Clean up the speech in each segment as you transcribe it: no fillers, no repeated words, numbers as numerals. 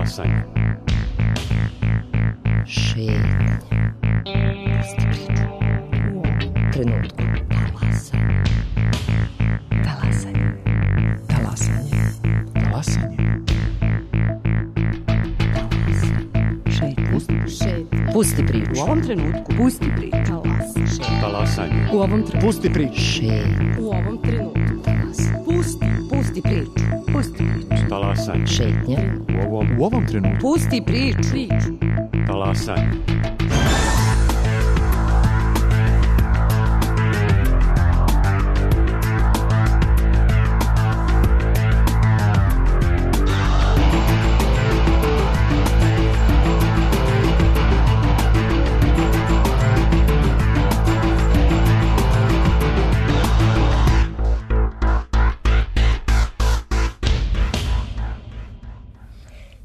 Talasanje. Šetnje. Pusti priču. U ovom trenutku. Talasanje. Talasanje. Talasanje. Talasanje. Šetnje. Pusti priču. U ovom trenutku. Pusti priču. Talasanje. U ovom trenutku. Pusti priču. Šetnje. U ovom trenutku. Pusti priču. Pusti priču. Talasanje. Šetnje. U ovom trenutku. Pusti priču. Talasanje.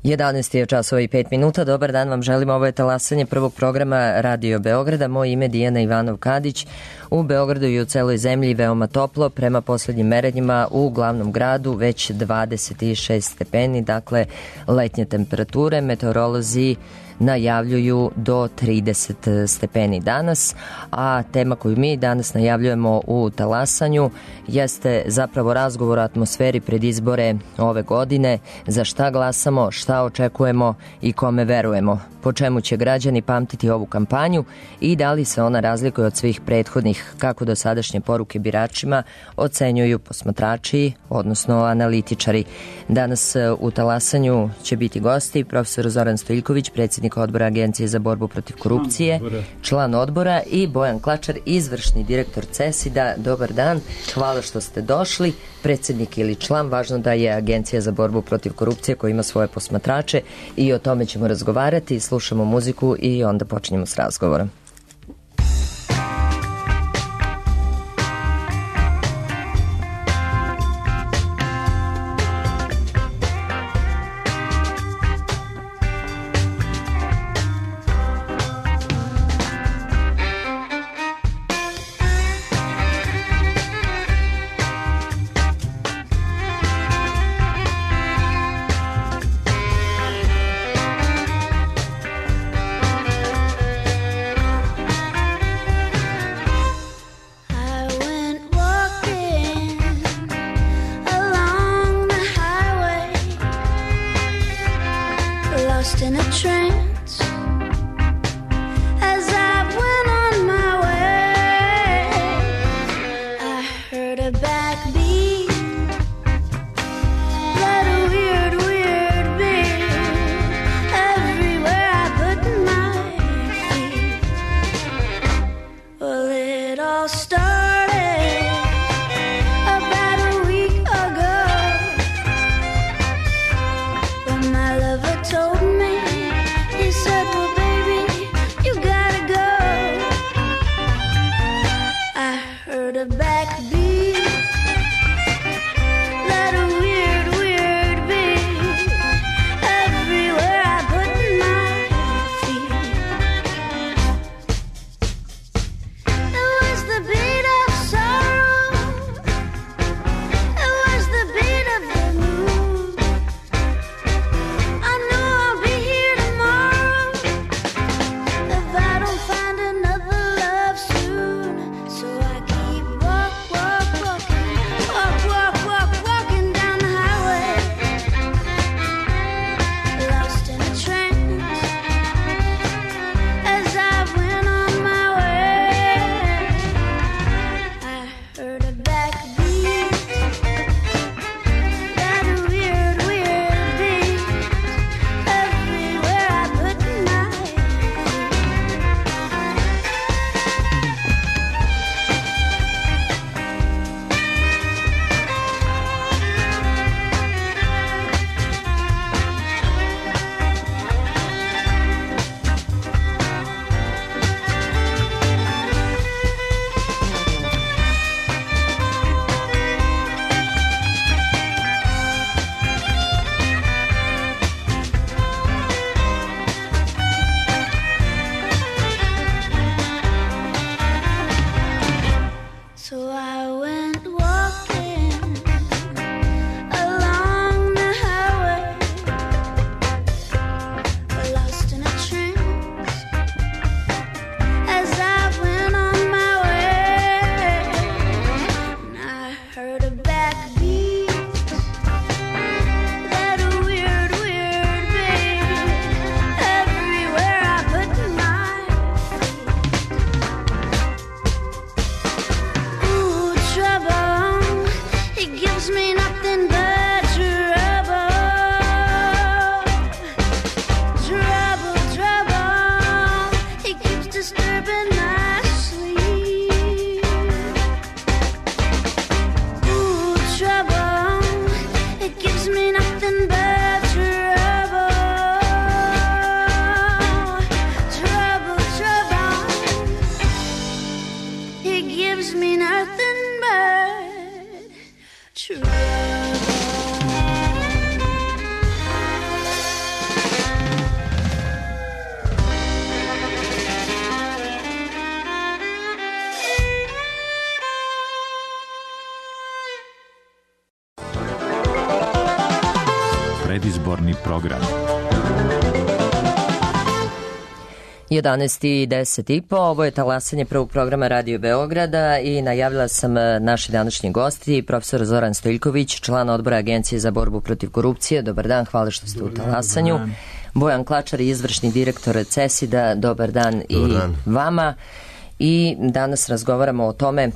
Jedanaest je časova i 5 minuta. Dobar dan vam želim. Ovo je talasanje prvog programa Radio Beograda. Moje ime je Dijana Ivanov-Kadić. U Beogradu i u celoj zemlji veoma toplo. Prema poslednjim merenjima u glavnom gradu već 26 stepeni. Dakle, letnje temperature. Meteorolozi najavljuju do 30 stepeni danas, a tema koju mi danas najavljujemo u talasanju jeste zapravo razgovor o atmosferi pred izbore ove godine, za šta glasamo, šta očekujemo i kome verujemo, po čemu će građani pamtiti ovu kampanju i da li se ona razlikuje od svih prethodnih, kako dosadašnje poruke biračima ocenjuju posmatrači, odnosno analitičari. Danas u talasanju će biti gosti profesor Zoran Stojiljković, predsjednik odbora Agencije za borbu protiv korupcije, član odbora, i Bojan Klačar, izvršni direktor CESID-a. Dobar dan, hvala što ste došli. Predsjednik ili član, važno da je Agencija za borbu protiv korupcije koja ima svoje posmatrače i o tome ćemo razgovarati. Slušamo muziku i onda počinjemo s razgovorom. true. Predizborni program. 11:10. Ovo je talasanje prvog programa Radio Beograda i najavila sam naši današnji gosti, profesor Zoran Stojiljković, član odbora Agencije za borbu protiv korupcije. Dobar dan, hvala što ste u talasanju. Bojan Klačar, izvršni direktor CESID-a, dobar dan i vama. I danas razgovaramo o tome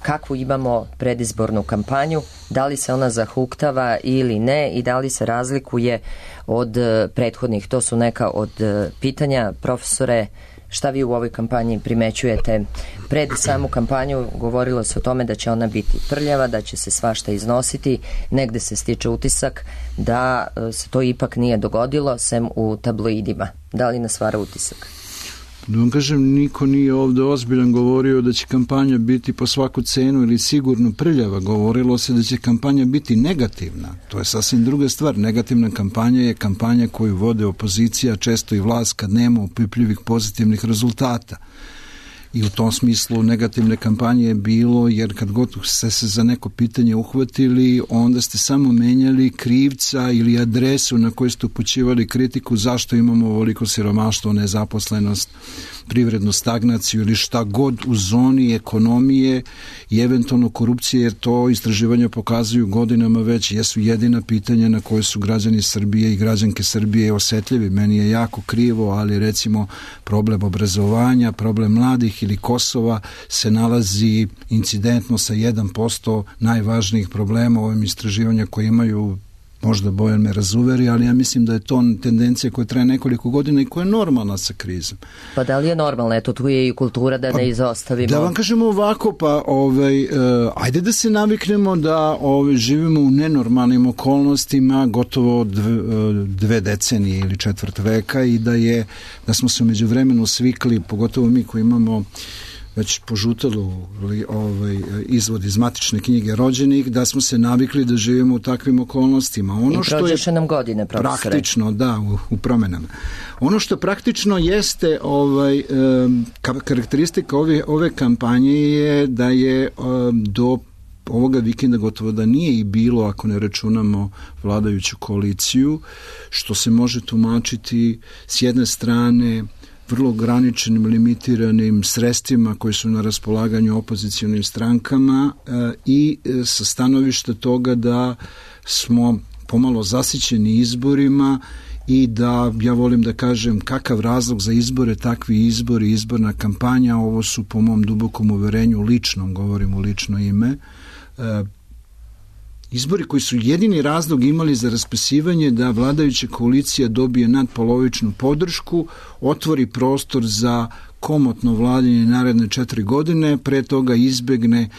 kakvu imamo predizbornu kampanju, da li se ona zahuktava ili ne i da li se razlikuje od prethodnih. To su neka od pitanja. Profesore, šta vi u ovoj kampanji primećujete? Pred samu kampanju govorilo se o tome da će ona biti prljava, da će se svašta iznositi. Negde se stiče utisak da se to ipak nije dogodilo, sem u tabloidima. Da li nas vara utisak? Da vam kažem, niko nije ovde ozbiljan govorio da će kampanja biti po svaku cenu ili sigurno prljava. Govorilo se da će kampanja biti negativna. To je sasvim druga stvar. Negativna kampanja je kampanja koju vode opozicija, često i vlast, kad nema opipljivih pozitivnih rezultata. I u tom smislu negativne kampanje je bilo, jer kad god ste se za neko pitanje uhvatili, onda ste samo menjali krivca ili adresu na koju ste upućivali kritiku zašto imamo ovoliko siromaštvo, nezaposlenost, privrednu stagnaciju ili šta god u zoni ekonomije i eventualno korupcije, jer to istraživanja pokazuju godinama već jesu jedina pitanja na koje su građani Srbije i građanke Srbije osetljivi. Meni je jako krivo, ali recimo problem obrazovanja, problem mladih ili Kosova se nalazi incidentno sa 1% najvažnijih problema u ovim istraživanja koje imaju. Možda Bojan me razuveri, ali ja mislim da je to tendencija koja traje nekoliko godina i koja je normalna sa krizom. Pa da li je normalna? Eto, tu je i kultura da ne izostavimo. Da vam kažemo ovako, pa ajde da se naviknemo da živimo u nenormalnim okolnostima gotovo 2 decenije ili 4 veka i da smo se umeđu vremenu svikli, pogotovo mi koji imamo već požutalo izvod iz matične knjige rođenih, da smo se navikli da živimo u takvim okolnostima. I prođeše nam godine, profesore. Praktično, da, u promenama. Ono što praktično jeste karakteristika ove kampanje je da je do ovoga vikenda gotovo da nije i bilo, ako ne računamo vladajuću koaliciju, što se može tumačiti s jedne strane vrlo ograničenim, limitiranim sredstvima koji su na raspolaganju opozicionim strankama i sa stanovišta toga da smo pomalo zasićeni izborima i da, ja volim da kažem, kakav razlog za izbore, takvi izbori, izborna kampanja, ovo su po mom dubokom uverenju, ličnom, govorim u lično ime, izbori koji su jedini razlog imali za raspisivanje da vladajuća koalicija dobije nadpolovičnu podršku, otvori prostor za komotno vladanje naredne 4 godine, pre toga izbegne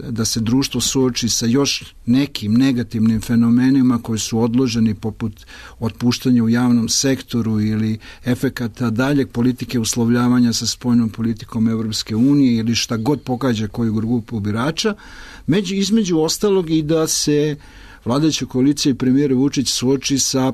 da se društvo suoči sa još nekim negativnim fenomenima koji su odloženi poput otpuštanja u javnom sektoru ili efekata daljeg politike uslovljavanja sa spoljnom politikom Evropske unije ili šta god pogađa koju grupu birača, između ostalog i da se vladajuća koalicija i premijer Vučić suoči sa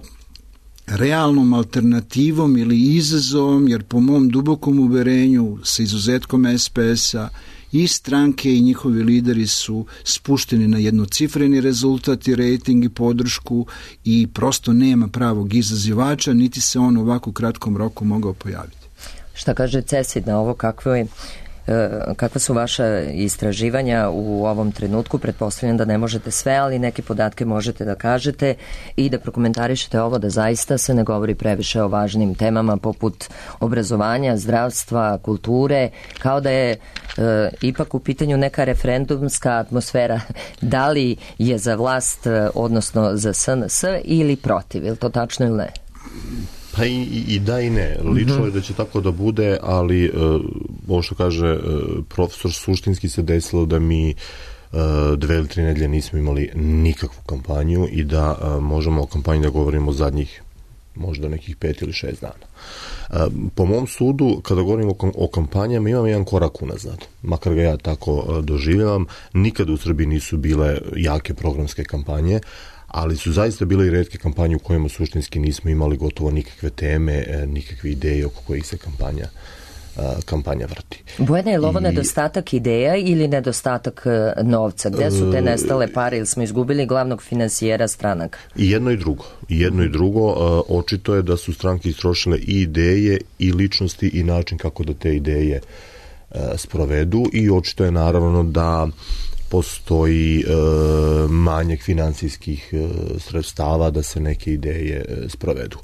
realnom alternativom ili izazovom, jer po mom dubokom uverenju sa izuzetkom SPS-a i stranke i njihovi lideri su spušteni na jednocifreni rezultat i rejting i podršku i prosto nema pravog izazivača, niti se on u ovako kratkom roku mogao pojaviti. Šta kaže CESID na ovo, kakva su vaša istraživanja u ovom trenutku? Pretpostavljam da ne možete sve, ali neke podatke možete da kažete i da prokomentarišete ovo, da zaista se ne govori previše o važnim temama poput obrazovanja, zdravstva, kulture, kao da je ipak u pitanju neka referendumska atmosfera. Da li je za vlast, odnosno za SNS ili protiv? Je li to tačno ili ne? Pa i da i ne. Lično je da će tako da bude, ali ovo što kaže profesor, suštinski se desilo da mi 2 ili 3 nedelje nismo imali nikakvu kampanju i da možemo o kampanji da govorimo zadnjih možda nekih 5 ili 6 dana. Po mom sudu, kada govorimo o kampanjama, imam jedan korak unazad, makar ga ja tako doživljavam. Nikada u Srbiji nisu bile jake programske kampanje, ali su zaista bile i retke kampanje u kojima suštinski nismo imali gotovo nikakve teme, nikakve ideje oko kojih se kampanja vrti. Bojana, je li ovo nedostatak ideja ili nedostatak novca? Gde su te nestale pare ili smo izgubili glavnog finansijera stranaka? I jedno i drugo. Očito je da su stranke istrošile i ideje i ličnosti i način kako da te ideje sprovedu, i očito je naravno da postoji manjak finansijskih sredstava da se neke ideje sprovedu.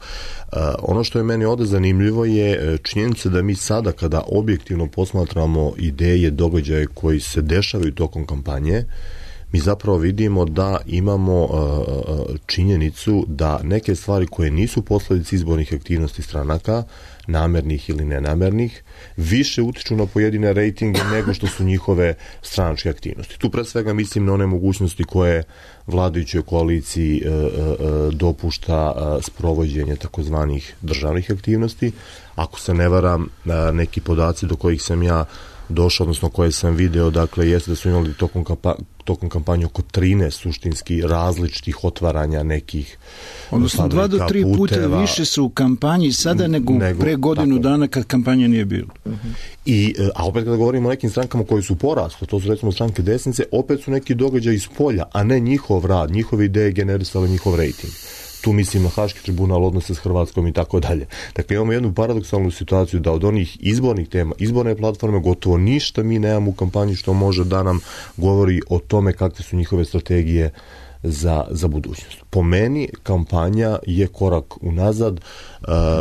Ono što je meni ovde zanimljivo je činjenica da mi sada, kada objektivno posmatramo ideje, događaje koji se dešavaju tokom kampanje, mi zapravo vidimo da imamo činjenicu da neke stvari koje nisu posledice izbornih aktivnosti stranaka, namernih ili nenamernih, više utiču na pojedine rejtinge nego što su njihove stranačke aktivnosti. Tu pre svega mislim na one mogućnosti koje vladajućoj koaliciji dopušta sprovođenje takozvanih državnih aktivnosti. Ako se ne varam, neki podaci do kojih sam ja došao, odnosno koje sam video, dakle, jeste da su imali tokom kampanje oko 13 suštinski različitih otvaranja nekih odnosno 2 do 3 puta više su u kampanji sada nego pre godinu dana kad kampanja nije bilo. A opet kada govorimo o nekim strankama koji su porasle, to su recimo stranke desnice, opet su neki događaj iz polja, a ne njihov rad, njihove ideje generisale njihov rejting. Tu mislim na Haški tribunal, odnose s Hrvatskom i tako dalje. Dakle, imamo jednu paradoksalnu situaciju da od onih izbornih tema, izborne platforme, gotovo ništa mi nemamo u kampanji što može da nam govori o tome kakve su njihove strategije za budućnost. Po meni, kampanja je korak unazad.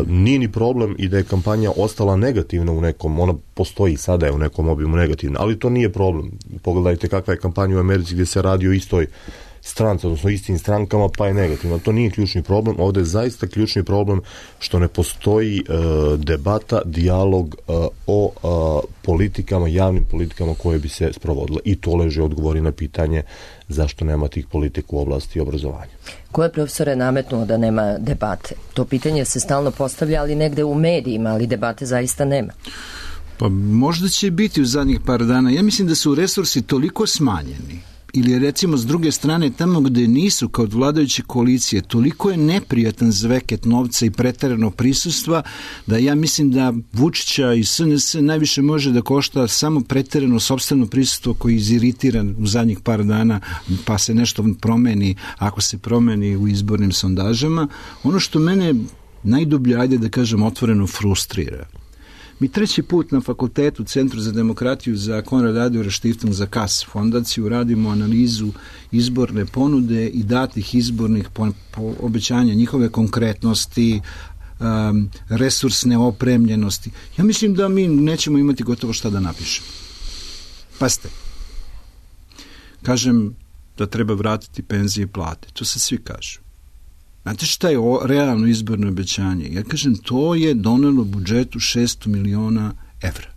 Nije ni problem i da je kampanja ostala negativna u nekom, ona postoji sada je u nekom obimu negativna, ali to nije problem. Pogledajte kakva je kampanja u Americi gdje se radi o istoj stranci, odnosno istim strankama, pa je negativno. To nije ključni problem. Ovdje je zaista ključni problem što ne postoji debata, dijalog o politikama, javnim politikama koje bi se sprovodile. I to leži odgovori na pitanje zašto nema tih politika u oblasti obrazovanja. Ko je, profesore, nametnuo da nema debate? To pitanje se stalno postavlja, ali negde u medijima, ali debate zaista nema. Pa možda će biti u zadnjih par dana. Ja mislim da su resursi toliko smanjeni, ili recimo s druge strane tamo gde nisu kao od vladajuće koalicije, toliko je neprijatan zveket novca i preterano prisustva da ja mislim da Vučića i SNS najviše može da košta samo preterano sopstveno prisustvo koji je iziritiran u zadnjih par dana, pa se nešto promeni, ako se promeni u izbornim sondažama. Ono što mene najdublje, ajde da kažem otvoreno, frustrira. Mi 3. put na fakultetu Centru za demokratiju za Konrad Adenauer Stiftung za KAS fondaciju radimo analizu izborne ponude i datih izbornih obećanja, njihove konkretnosti, resursne opremljenosti. Ja mislim da mi nećemo imati gotovo šta da napišemo. Pazite, kažem da treba vratiti penzije i plate. To se svi kažu. Znate šta je realno izborno obećanje? Ja kažem, to je donelo budžetu 600 miliona evra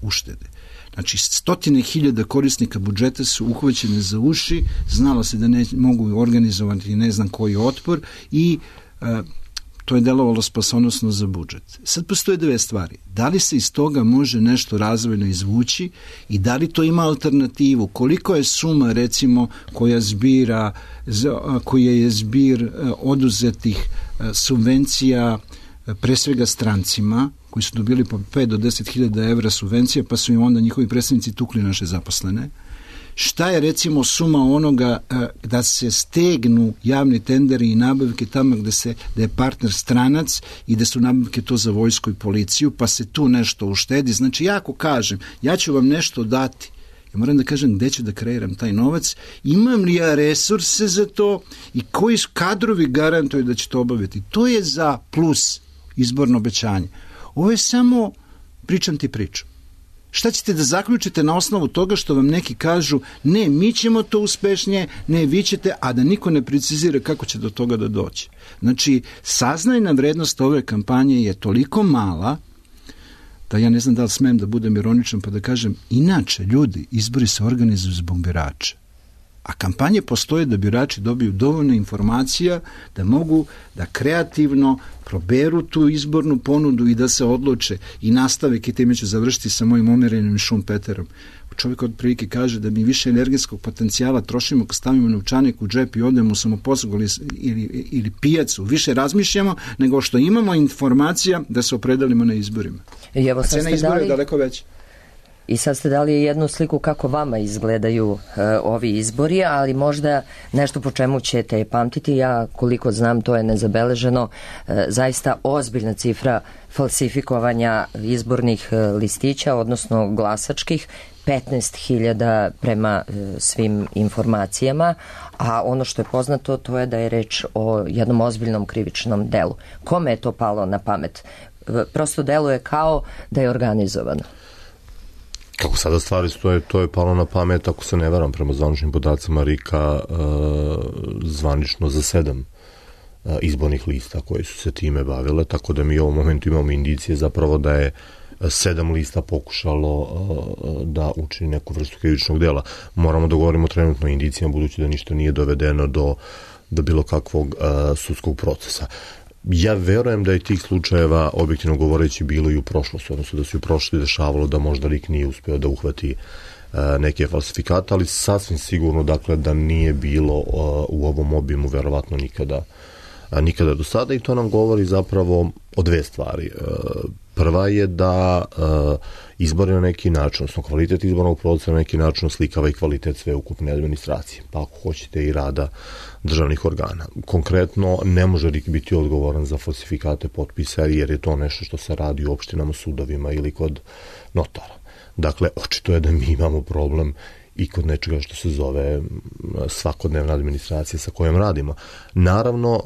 uštede. Znači, 100.000 korisnika budžeta su uhvaćene za uši, znalo se da ne mogu organizovati ne znam koji otpor i to je delovalo spasonosno za budžet. Sad postoje 2 stvari. Da li se iz toga može nešto razvojno izvući i da li to ima alternativu? Koliko je suma, recimo, koja je zbir oduzetih subvencija pre svega strancima, koji su dobili po 5 do 10.000 evra subvencija, pa su im onda njihovi predstavnici tukli naše zaposlene? Šta je recimo suma onoga da se stegnu javni tenderi i nabavke tamo da je partner stranac i da su nabavke to za vojsku i policiju, pa se tu nešto uštedi. Znači, ja ako kažem, ja ću vam nešto dati, ja moram da kažem gde ću da kreiram taj novac, imam li ja resurse za to i koji kadrovi garantuju da će to obaviti. To je za plus izborno obećanje. Ovo je samo pričam ti priču. Šta ćete da zaključite na osnovu toga što vam neki kažu ne, mi ćemo to uspešnije, ne, vi ćete, a da niko ne precizira kako će do toga da doći. Znači, saznajna vrednost ove kampanje je toliko mala da ja ne znam da li smem da budem ironičan pa da kažem, inače ljudi, izbori se organizuju zbog birača. A kampanje postoje da birači dobiju dovoljno informacija da mogu da kreativno proberu tu izbornu ponudu i da se odluče i nastave, i time ću završiti sa mojim umerenim Šumpeterom. Čovjek od prilike kaže da mi više energetskog potencijala trošimo kad stavimo novčanik u džep i odemo u samoposlugu ili pijacu. Više razmišljamo nego što imamo informacija da se opredelimo na izborima. I evo, a cena izbora je daleko veća. I sad ste dali jednu sliku kako vama izgledaju ovi izbori, ali možda nešto po čemu ćete pamtiti. Ja, koliko znam, to je nezabeleženo, zaista ozbiljna cifra falsifikovanja izbornih listića, odnosno glasačkih, 15.000 prema svim informacijama, a ono što je poznato to je da je reč o jednom ozbiljnom krivičnom delu. Kome je to palo na pamet? Prosto deluje kao da je organizovano. Kako sada stvari stoje, to je palo na pamet, ako se ne varam, prema zvaničnim podacima RIK-a, zvanično za 7 izbornih lista koji su se time bavile, tako da mi u ovom momentu imamo indicije zapravo da je 7 lista pokušalo da učini neku vrstu krivičnog dela. Moramo da govorimo trenutno o indicijama, budući da ništa nije dovedeno do bilo kakvog sudskog procesa. Ja verujem da je tih slučajeva, objektivno govoreći, bilo i u prošlosti, odnosno da se u prošlosti dešavalo da možda RIK nije uspeo da uhvati neke falsifikate, ali sasvim sigurno, dakle, da nije bilo u ovom obimu verovatno nikada do sada, i to nam govori zapravo o dve stvari. Prva je da izbori na neki način, odnosno kvalitet izbornog procesa na neki način slikava i kvalitet sveukupne administracije, pa ako hoćete i rada državnih organa. Konkretno, ne može RIK biti odgovoran za falsifikate potpisa, jer je to nešto što se radi u opštinama, sudovima ili kod notara. Dakle, očito je da mi imamo problem i kod nečega što se zove svakodnevna administracija sa kojom radimo. Naravno,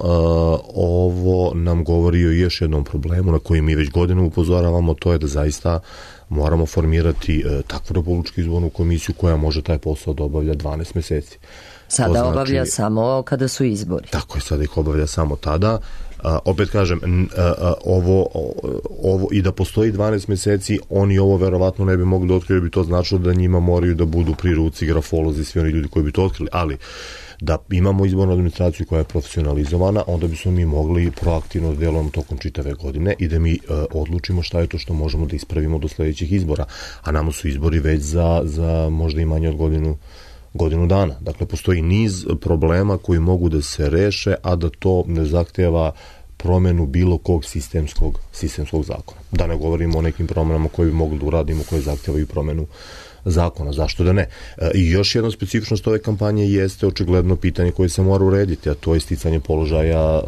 ovo nam govori o još jednom problemu na koji mi već godinu upozoravamo, to je da zaista moramo formirati takvu Republičku izbornu komisiju koja može taj posao da obavlja 12 meseci. Sada obavlja samo kada su izbori. Tako je, sada ih obavlja samo tada. Opet kažem, ovo i da postoji 12 meseci, oni ovo verovatno ne bi mogli da otkriju, jer bi to značilo da njima moraju da budu pri ruci grafolozi, svi oni ljudi koji bi to otkrili, ali da imamo izbornu administraciju koja je profesionalizovana, onda bismo mi mogli proaktivno da delujemo tokom čitave godine i da mi odlučimo šta je to što možemo da ispravimo do sledećih izbora, a nama su izbori već za možda i manje od godinu dana. Dakle, postoji niz problema koji mogu da se reše, a da to ne zahteva promenu bilo kog sistemskog zakona. Da ne govorimo o nekim promenama koje bi mogli da uradimo, koje zahtevaju promenu zakona, zašto da ne. I još jedna specifičnost ove kampanje jeste očigledno pitanje koje se mora urediti, a to je sticanje položaja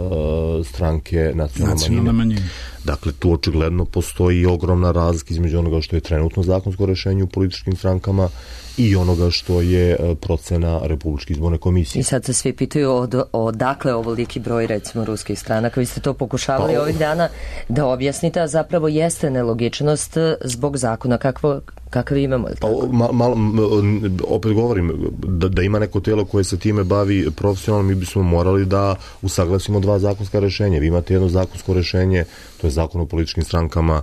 stranke nacionalne manjine. Dakle, tu očigledno postoji ogromna razlika između onoga što je trenutno zakonsko rešenje u političkim strankama i onoga što je procena Republičke izborne komisije. I sad se svi pitaju odakle ovoliki broj, recimo, ruskih stranaka. Vi ste to pokušavali ovih dana da objasnite, a zapravo jeste nelogičnost zbog zakona kakav imamo. Opet govorim, da ima neko telo koje se time bavi profesionalno, mi bismo morali da usaglasimo dva zakonska rešenja. Vi imate jedno zakonsko rešenje, to je zakon o političkim strankama,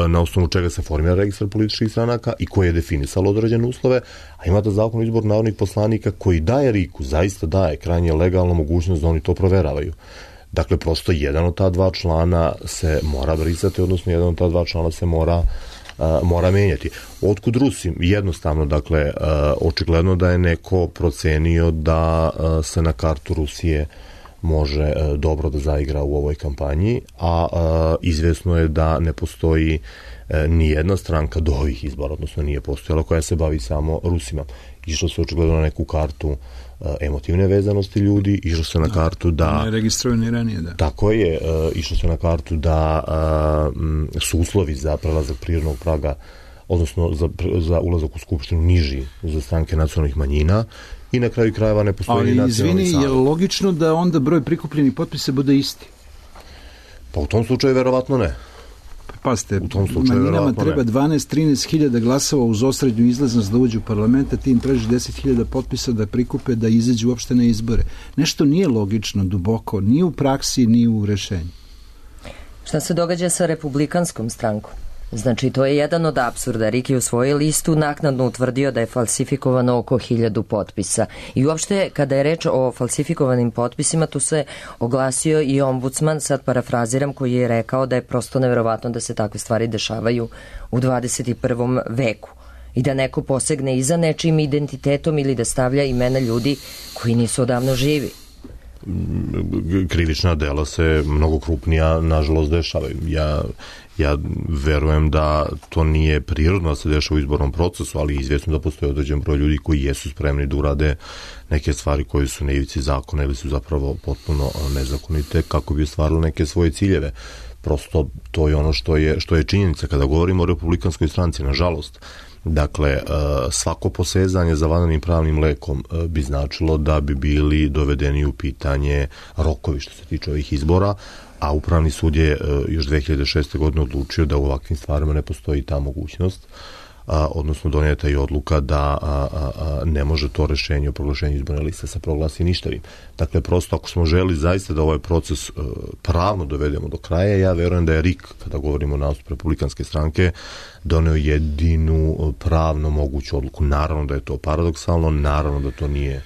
na osnovu čega se formira registar političkih stranaka i koje je definisalo određene uslove, a imate zakon o izboru narodnih poslanika koji daje RIK-u, zaista daje krajnje legalnu mogućnost da oni to proveravaju. Dakle, prosto jedan od ta dva člana se mora brisati, odnosno jedan od ta dva člana se mora menjati. Otkud Rusi? Jednostavno, dakle, očigledno da je neko procenio da se na kartu Rusije može dobro da zaigra u ovoj kampanji, a izvesno je da ne postoji ni jedna stranka do ovih izbora, odnosno nije postojala, koja se bavi samo Rusima. Išlo se očigledno na neku kartu emotivne vezanosti ljudi, išlo se na kartu da... Ne registruju ni ranije, da. Tako je, išlo se na kartu da su uslovi za prelazak prirodnog praga, odnosno za ulazak u skupštinu niži za stranke nacionalnih manjina, i na kraju krajeva ne postoji ni nacionalni savjet. Ali izvini, je logično da onda broj prikupljenih potpisa bude isti? Pa u tom slučaju verovatno ne. Pazite, manjinama treba 12-13 hiljada glasova uz osrednju izlaznost da uđu u parlamenta, ti im traži 10.000 potpisa da prikupe, da izađu uopšte na izbore. Nešto nije logično, duboko, ni u praksi, ni u rešenju. Šta se događa sa republikanskom strankom? Znači, to je jedan od apsurda. RIK je u svojoj listu naknadno utvrdio da je falsifikovano oko 1000 potpisa. I uopšte, kada je reč o falsifikovanim potpisima, tu se oglasio i ombudsman, sad parafraziram, koji je rekao da je prosto neverovatno da se takve stvari dešavaju u 21. veku. I da neko posegne i za nečim identitetom ili da stavlja imena ljudi koji nisu odavno živi. Krivična dela se mnogo krupnija, nažalost, dešavaju. Ja verujem da to nije prirodno da se dešava u izbornom procesu, ali izvjesno da postoje određen broj ljudi koji jesu spremni da urade neke stvari koje su na ivici zakona ili su zapravo potpuno nezakonite kako bi ostvarili neke svoje ciljeve. Prosto to je ono što je činjenica kada govorimo o Republikanskoj stranci, nažalost. Dakle, svako posezanje za vanrednim pravnim lekom bi značilo da bi bili dovedeni u pitanje rokovi što se tiče ovih izbora, a Upravni sud je još 2006. godine odlučio da u ovakvim stvarima ne postoji ta mogućnost, odnosno donijeta je odluka da ne može to rešenje o proglašenju izborne liste se proglasi ništavim. Dakle, prosto ako smo želi zaista da ovaj proces pravno dovedemo do kraja, ja verujem da je RIK, kada govorimo o nastupu Republikanske stranke, doneo jedinu pravno moguću odluku. Naravno da je to paradoksalno, naravno da to nije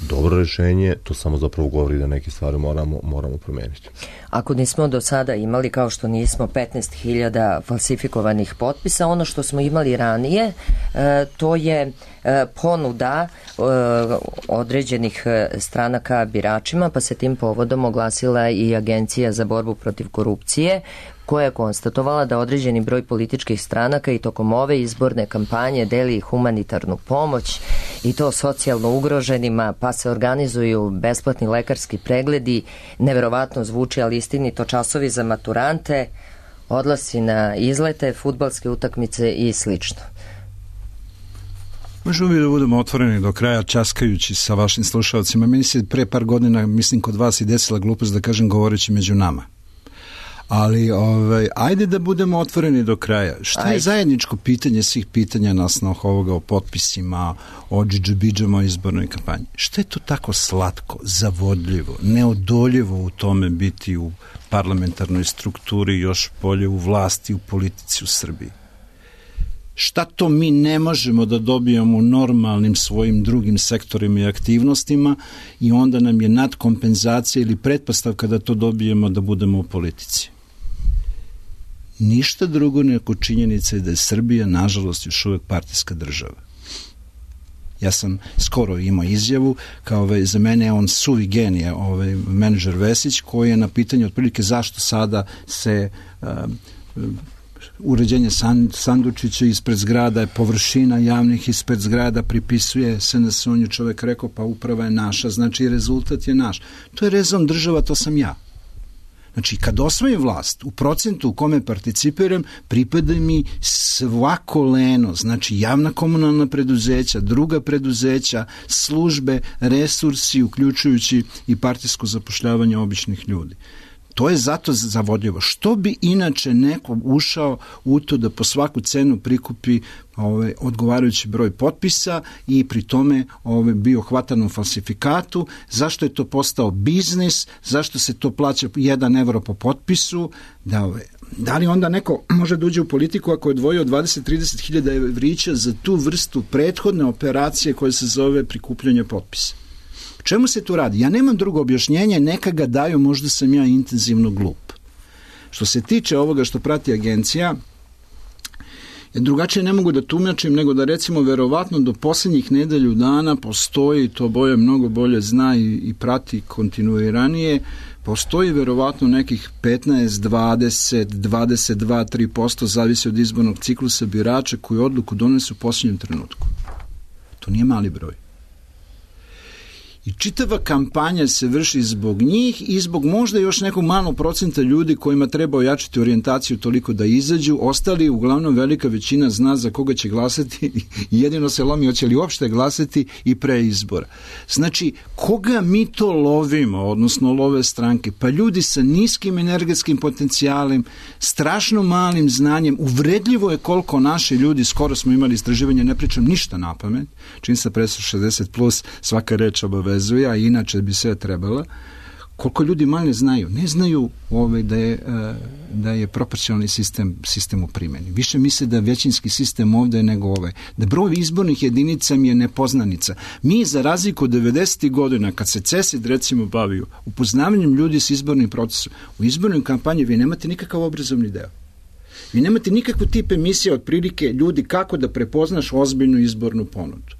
dobro rešenje, to samo zapravo govori da neke stvari moramo promeniti. Ako nismo do sada imali, kao što nismo, 15.000 falsifikovanih potpisa, ono što smo imali ranije, to je ponuda određenih stranaka biračima, pa se tim povodom oglasila i Agencija za borbu protiv korupcije, koja je konstatovala da određeni broj političkih stranaka i tokom ove izborne kampanje deli humanitarnu pomoć i to socijalno ugroženima, pa se organizuju besplatni lekarski pregledi, neverovatno zvuči, ali istinito, časovi za maturante, odlasci na izlete, fudbalske utakmice i slično. Možemo mi da budemo otvoreni do kraja, časkajući sa vašim slušalcima. Meni se pre par godina, mislim, kod vas i desila glupost da kažem govoreći među nama. Ali ajde da budemo otvoreni do kraja. Šta je zajedničko pitanje svih pitanja na osnovu ovoga o potpisima, o džidžabidžama o izbornoj kampanji? Šta je to tako slatko, zavodljivo, neodoljivo u tome biti u parlamentarnoj strukturi, još bolje u vlasti, u politici u Srbiji? Šta to mi ne možemo da dobijemo u normalnim svojim drugim sektorima i aktivnostima i onda nam je nadkompenzacija ili pretpostavka da to dobijemo da budemo u politici? Ništa drugo nego činjenica je da je Srbija, nažalost, još uvek partijska država. Ja sam skoro imao izjavu, kao za mene je on suvi genije, menadžer Vesić, koji je na pitanje otprilike zašto sada se uređenje sandučića ispred zgrada je površina javnih ispred zgrada pripisuje SNS, on je čovek rekao pa uprava je naša, znači rezultat je naš. To je rezon država, to sam ja. Znači, kad osvojim vlast, u procentu u kome participiram, pripada mi svako leno, znači javna komunalna preduzeća, druga preduzeća, službe, resursi, uključujući i partijsko zapošljavanje običnih ljudi. To je zato zavodljivo. Što bi inače neko ušao u to da po svaku cenu prikupi odgovarajući broj potpisa i pri tome bio hvatan u falsifikatu? Zašto je to postao biznis? Zašto se to plaća 1 evro po potpisu? Da li onda neko može da uđe u politiku ako je odvojio 20-30 hiljada evrića za tu vrstu prethodne operacije koja se zove prikupljanje potpisa? Čemu se tu radi? Ja nemam drugo objašnjenje, neka ga daju, možda sam ja intenzivno glup. Što se tiče ovoga što prati agencija, ja drugačije ne mogu da tumačim nego da recimo verovatno do posljednjih nedelju dana postoji, to Boja mnogo bolje zna i prati kontinuiranije, postoji verovatno nekih 15, 20, 22, 3%, zavisi od izbornog ciklusa birača koji odluku donesu u posljednjem trenutku. To nije mali broj. I čitava kampanja se vrši zbog njih i zbog možda još nekog malog procenta ljudi kojima treba ojačati orijentaciju toliko da izađu. Ostali, uglavnom velika većina zna za koga će glasati i jedino se lomi hoće li uopšte glasati i pre izbora. Znači, koga mi to lovimo, odnosno love stranke? Pa ljudi sa niskim energetskim potencijalem, strašno malim znanjem, uvredljivo je koliko naši ljudi, skoro smo imali istraživanje, ne pričam ništa na pamet, čim se presu 60+, svaka reč obavezuje, a inače bi sve trebala, Koliko ljudi manje znaju? Ne znaju da je proporcionalni sistem u primjeni. Više misle da je većinski sistem ovdje nego da broj izbornih jedinica mi je nepoznanica. Mi, za razliku od 90. godina, kad se CESID recimo bavio upoznavanjem ljudi s izbornim procesom, u izbornoj kampanji vi nemate nikakav obrazovni deo. Vi nemate nikakvu tip emisije otprilike ljudi kako da prepoznaš ozbiljnu izbornu ponudu.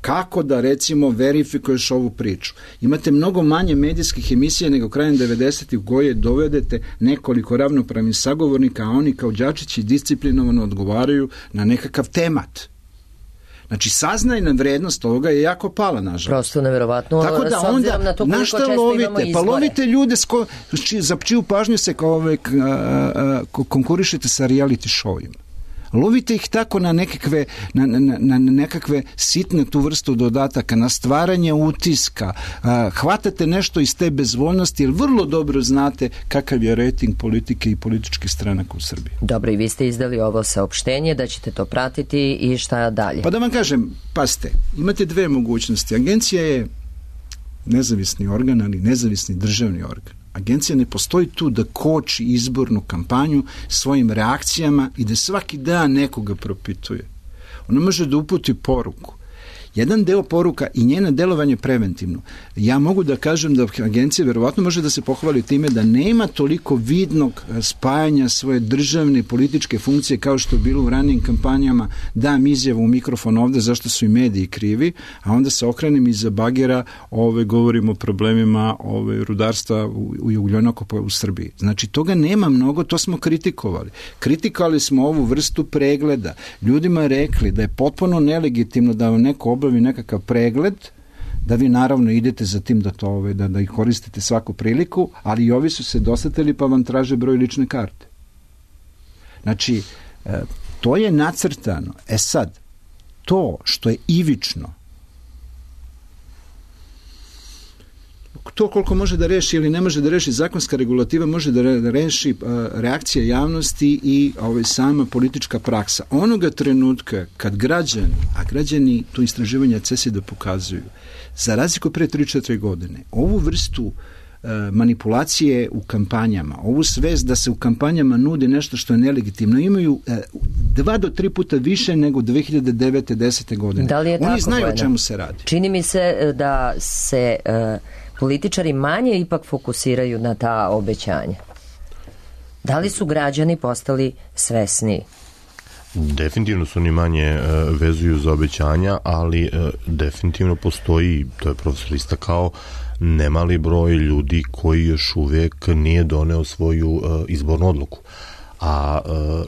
Kako da, recimo, verifikuješ ovu priču. Imate mnogo manje medijskih emisija nego krajem 90. u koje dovedete nekoliko ravnopravnih sagovornika, a oni kao đačići disciplinovano odgovaraju na nekakav temat. Znači, saznajna vrednost ovoga je jako pala, nažalost. Prosto neverovatno, tako da s obzirom na to koliko često lovite? Imamo izbore. Pa lovite ljude za čiju pažnju se konkurišete sa reality showima. Lovite ih tako na nekakve sitne tu vrstu dodataka, na stvaranje utiska, hvatate nešto iz te bezvoljnosti, jer vrlo dobro znate kakav je rejting politike i političkih stranaka u Srbiji. Dobro, i vi ste izdali ovo saopštenje da ćete to pratiti i šta dalje? Pa da vam kažem, pazite, imate dve mogućnosti. Agencija je nezavisni organ, ali nezavisni državni organ. Agencija ne postoji tu da koči izbornu kampanju svojim reakcijama i da svaki dan nekoga propituje. Ona može da uputi poruku. Jedan deo poruka i njeno delovanje preventivno. Ja mogu da kažem da agencija verovatno može da se pohvali time da nema toliko vidnog spajanja svoje državne političke funkcije kao što je bilo u ranijim kampanjama, dam izjavu u mikrofon ovde zašto su i mediji krivi, a onda se okrenem iza bagera, govorimo o problemima rudarstva u ugljenokopa u Srbiji. Znači, toga nema mnogo, to smo kritikovali. Kritikovali smo ovu vrstu pregleda. Ljudima rekli da je potpuno nelegitimno da vam neko obavi nekakav pregled, da vi naravno idete za tim da ih koristite svaku priliku, ali i ovi su se dosetili pa vam traže broj lične karte. Znači, to je nacrtano. Sad, to što je ivično, to koliko može da reši ili ne može da reši zakonska regulativa, može da reši reakcija javnosti i sama politička praksa. Onoga trenutka kad građani to istraživanja CESID-a pokazuju, za razliku pre 3-4 godine, ovu vrstu manipulacije u kampanjama, ovu svest da se u kampanjama nude nešto što je nelegitimno, imaju 2 do 3 puta više nego 2009. 10. godine. Da li je tako? Oni znaju o čemu se radi. Čini mi se da se političari manje ipak fokusiraju na ta obećanja. Da li su građani postali svesniji? Definitivno su oni manje vezuju za obećanja, ali definitivno postoji, to je profesor istakao, nemali broj ljudi koji još uvijek nije doneo svoju izbornu odluku. A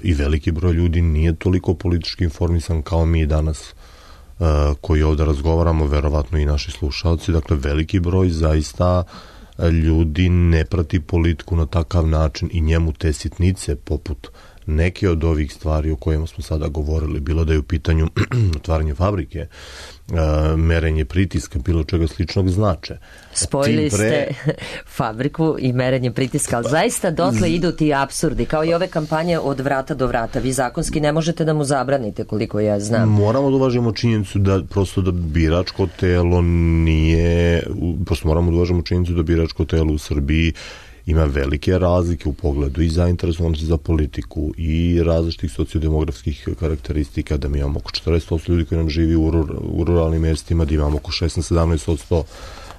i veliki broj ljudi nije toliko politički informisan kao mi danas koji ovdje razgovaramo, verovatno i naši slušalci. Dakle, veliki broj zaista ljudi ne prati politiku na takav način i njemu te sitnice poput neke od ovih stvari o kojima smo sada govorili, bilo da je u pitanju otvaranje fabrike, merenje pritiska, bilo čega sličnog znače. Spojili ste fabriku i merenje pritiska, ali zaista dotle idu ti apsurdi, kao i ove kampanje od vrata do vrata. Vi zakonski ne možete da mu zabranite, koliko ja znam. Moramo da uvažimo činjenicu da prosto da biračko telo nije, prosto moramo da uvažimo činjenicu da biračko telo u Srbiji ima velike razlike u pogledu i zainteresovanosti za politiku i različitih sociodemografskih karakteristika, da mi imamo oko 40% ljudi koji nam živi u ruralnim mjestima, da imamo oko 16-17%,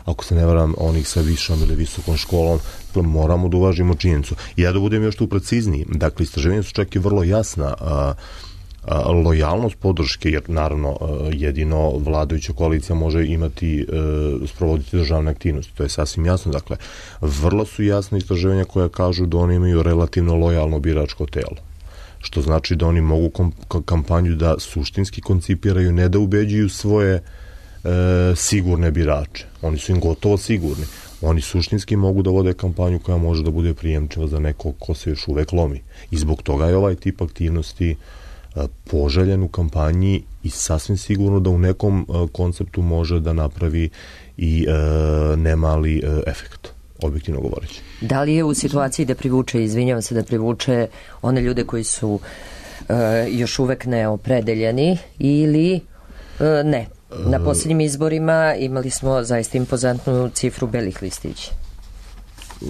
ako se ne varam, onih sa višom ili visokom školom. Dakle, moramo da uvažimo činjenicu. I ja da budem još tu precizniji. Dakle, istraživanja su čak i vrlo jasna. Lojalnost podrške, jer naravno jedino vladajuća koalicija može imati, sprovoditi državne aktivnosti, to je sasvim jasno. Dakle, vrlo su jasne istraživanja koja kažu da oni imaju relativno lojalno biračko telo, što znači da oni mogu kampanju da suštinski koncipiraju, ne da ubeđuju svoje sigurne birače. Oni su im gotovo sigurni. Oni suštinski mogu da vode kampanju koja može da bude prijemčiva za nekog ko se još uvek lomi. I zbog toga je ovaj tip aktivnosti poželjen u kampanji i sasvim sigurno da u nekom konceptu može da napravi i nemali efekt, objektivno govoreći. Da li je u situaciji da privuče, izvinjavam se, da privuče one ljude koji su još uvek neopredeljeni ili ne? Na posljednjim izborima imali smo zaista impozantnu cifru belih listića.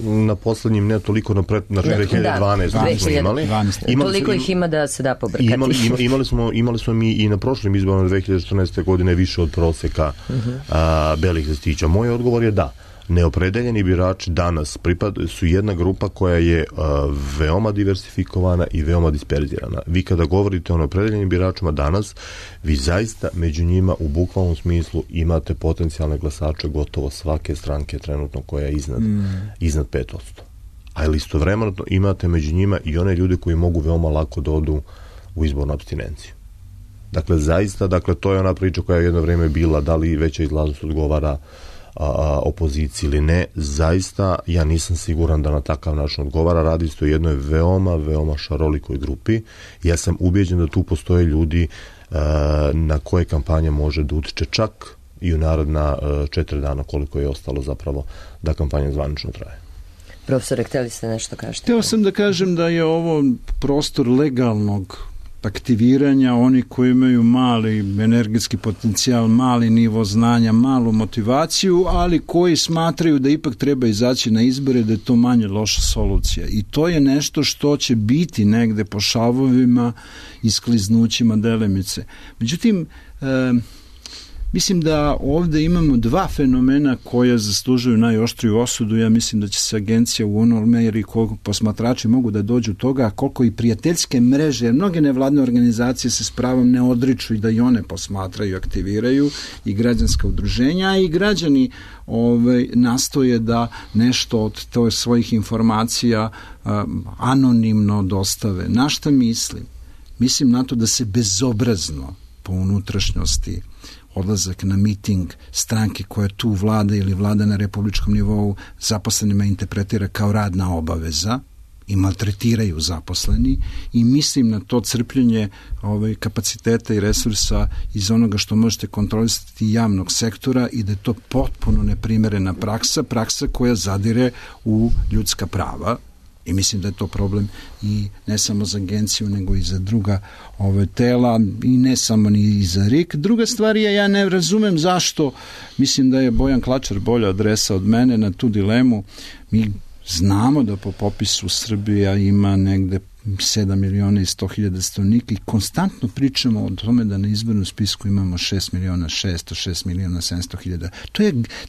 na poslednjim, ne toliko na 2012 smo imali. Toliko ih ima da se da pobrkati. Imali smo mi i na prošlim izborima 2014. godine više od proseka belih listića. Moj odgovor je da. Neopredeljeni birači danas su jedna grupa koja je veoma diversifikovana i veoma disperzirana. Vi kada govorite o neopredeljenim biračima danas, vi zaista među njima u bukvalnom smislu imate potencijalne glasače gotovo svake stranke trenutno koja je iznad 5%. Ali istovremeno imate među njima i one ljude koji mogu veoma lako da odu u izbornu apstinenciju. Dakle, zaista, to je ona priča koja je jedno vreme bila, da li veća izlaznost odgovara opoziciji ili ne, zaista ja nisam siguran da na takav način odgovara. Radi se o jednoj veoma, veoma šarolikoj grupi. Ja sam ubeđen da tu postoje ljudi na koje kampanja može da utiče čak i u naredna 4 dana koliko je ostalo zapravo da kampanja zvanično traje. Profesore, hteli ste nešto kažete? Hteo sam da kažem da je ovo prostor legalnog aktiviranja, oni koji imaju mali energetski potencijal, mali nivo znanja, malu motivaciju, ali koji smatraju da ipak treba izaći na izbore, da je to manje loša solucija. I to je nešto što će biti negde po šavovima i skliznućima delimice. Međutim, mislim da ovde imamo dva fenomena koja zaslužuju najoštriju osudu. Ja mislim da će se agencija u onoj meri koliko posmatrači mogu da dođu toga, koliko i prijateljske mreže, jer mnoge nevladne organizacije se s pravom ne odriču i da i one posmatraju i aktiviraju, i građanska udruženja, i građani nastoje da nešto od svojih informacija anonimno dostave. Na šta mislim? Mislim na to da se bezobrazno po unutrašnjosti odlazak na miting stranke koja tu vlada ili vlada na republičkom nivou zaposlenima interpretira kao radna obaveza i maltretiraju zaposleni, i mislim na to crpljenje kapaciteta i resursa iz onoga što možete kontrolisati javnog sektora, i da je to potpuno neprimerena praksa koja zadire u ljudska prava. I mislim da je to problem i ne samo za agenciju, nego i za druga tela, i ne samo ni za RIK. Druga stvar je, ja ne razumem zašto, mislim da je Bojan Klačar bolja adresa od mene na tu dilemu. Mi znamo da po popisu Srbija ima negde 7.100.000 stanovnika i konstantno pričamo o tome da na izbornom spisku imamo 6.600.000.